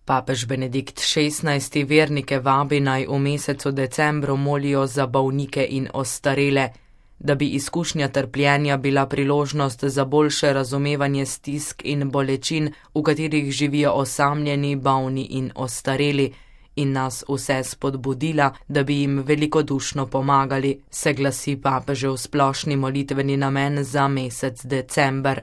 Papež Benedikt XVI. Vernike vabi, naj v mesecu decembru molijo za bolnike in ostarele, da bi izkušnja trpljenja bila priložnost za boljše razumevanje stisk in bolečin, v katerih živijo osamljeni, bolni in ostareli, in nas vse spodbudila, da bi jim velikodušno pomagali, se glasi papežev splošni molitveni namen za mesec december.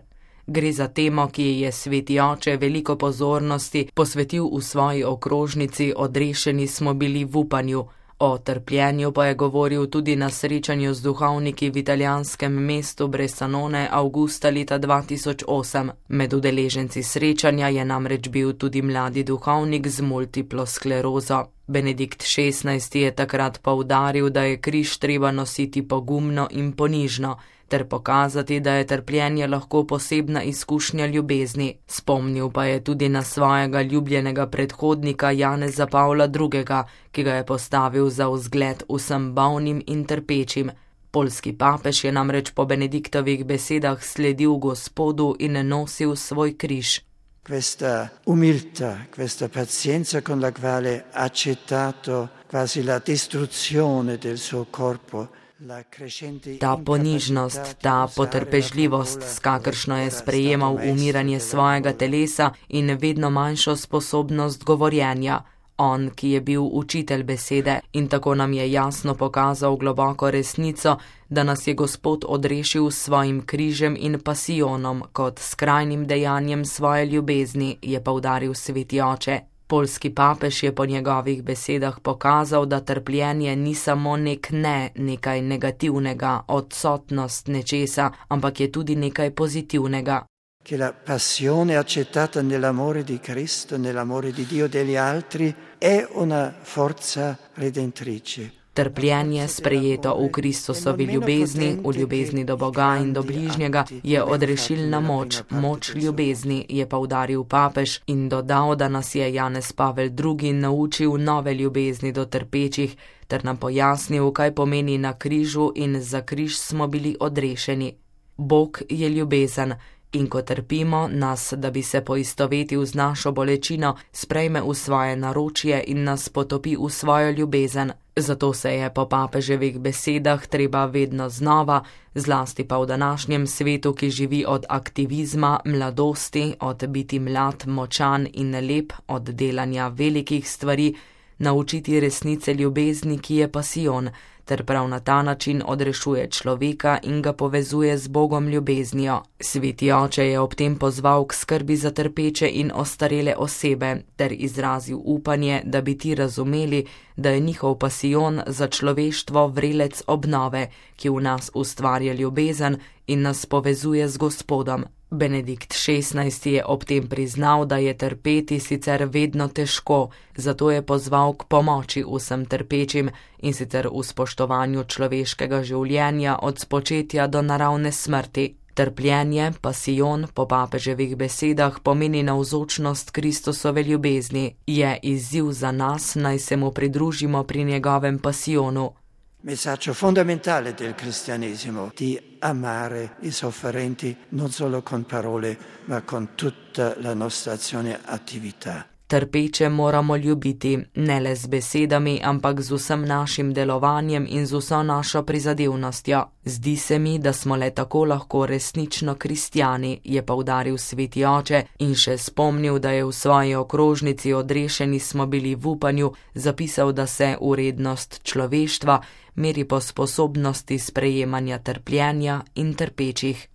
Gre za temo, ki je Sveti oče veliko pozornosti posvetil v svoji okrožnici Odrešeni smo bili v upanju. O trpljenju pa je govoril tudi na srečanju z duhovniki v italijanskem mestu Bressanone avgusta leta 2008. Med udeleženci srečanja je namreč bil tudi mladi duhovnik z multiplo sklerozo. Benedikt XVI. Je takrat poudaril, da je križ treba nositi pogumno in ponižno, ter pokazati, da je trpljenje lahko posebna izkušnja ljubezni. Spomnil pa je tudi na svojega ljubljenega predhodnika Janeza Pavla II., ki ga je postavil za vzgled vsem bolnim in trpečim. Poljski papež je namreč po Benediktovih besedah sledil Gospodu in nosil svoj križ. Questa umiltà, questa pazienza con la quale ha accettato quasi la distruzione del suo corpo. Ta ponižnost, ta potrpežljivost, s kakršno je sprejemal umiranje svojega telesa in vedno manjšo sposobnost govorjenja. On, ki je bil učitelj besede in tako nam je jasno pokazal globoko resnico, da nas je Gospod odrešil s svojim križem in pasijonom kot skrajnim dejanjem svoje ljubezni, je poudaril Sveti oče. Poljski papež je po njegovih besedah pokazal, da trpljenje ni samo nekaj negativnega, odsotnost nečesa, ampak je tudi nekaj pozitivnega. Che la passione accettata nell'amore di Cristo, nell'amore di Dio e degli altri, è una forza redentrice. Trpljenje, sprejeto v Kristusovi ljubezni, v ljubezni do Boga in do bližnjega, je odrešilna moč, moč ljubezni, je poudaril papež in dodal, da nas je Janez Pavel II. Naučil nove ljubezni do trpečih, ter nam pojasnil, kaj pomeni na križu in za križ smo bili odrešeni. Bog je ljubezen. In ko trpimo, nas, da bi se poistovetil z našo bolečino, sprejme v svoje naročje in nas potopi v svojo ljubezen. Zato se je po papeževih besedah treba vedno znova, zlasti pa v današnjem svetu, ki živi od aktivizma, mladosti, od biti mlad, močan in lep, od delanja velikih stvari, naučiti resnice ljubezni, ki je pasijon, ter prav na ta način odrešuje človeka in ga povezuje z Bogom ljubeznijo. Sveti oče je ob tem pozval k skrbi za trpeče in ostarele osebe, ter izrazil upanje, da bi ti razumeli, da je njihov pasijon za človeštvo vrelec obnove, ki v nas ustvarja ljubezen in nas povezuje z Gospodom. Benedikt XVI. Je ob tem priznal, da je trpeti sicer vedno težko, zato je pozval k pomoči vsem trpečim in sicer v spoštovanju človeškega življenja od spočetja do naravne smrti. Trpljenje, pasijon, po papeževih besedah pomeni navzočnost Kristusove ljubezni. Je izziv za nas, naj se mu pridružimo pri njegovem pasijonu. Messaggio fondamentale del cristianesimo, di amare i sofferenti non solo con parole, ma con tutta la nostra azione attività. Trpeče moramo ljubiti, ne le z besedami, ampak z vsem našim delovanjem in z vso našo prizadevnostjo. Zdi se mi, da smo le tako lahko resnično kristjani, je poudaril Sveti oče in še spomnil, da je v svoji okrožnici Odrešeni smo bili v upanju zapisal, da se vrednost človeštva meri po sposobnosti sprejemanja trpljenja in trpečih.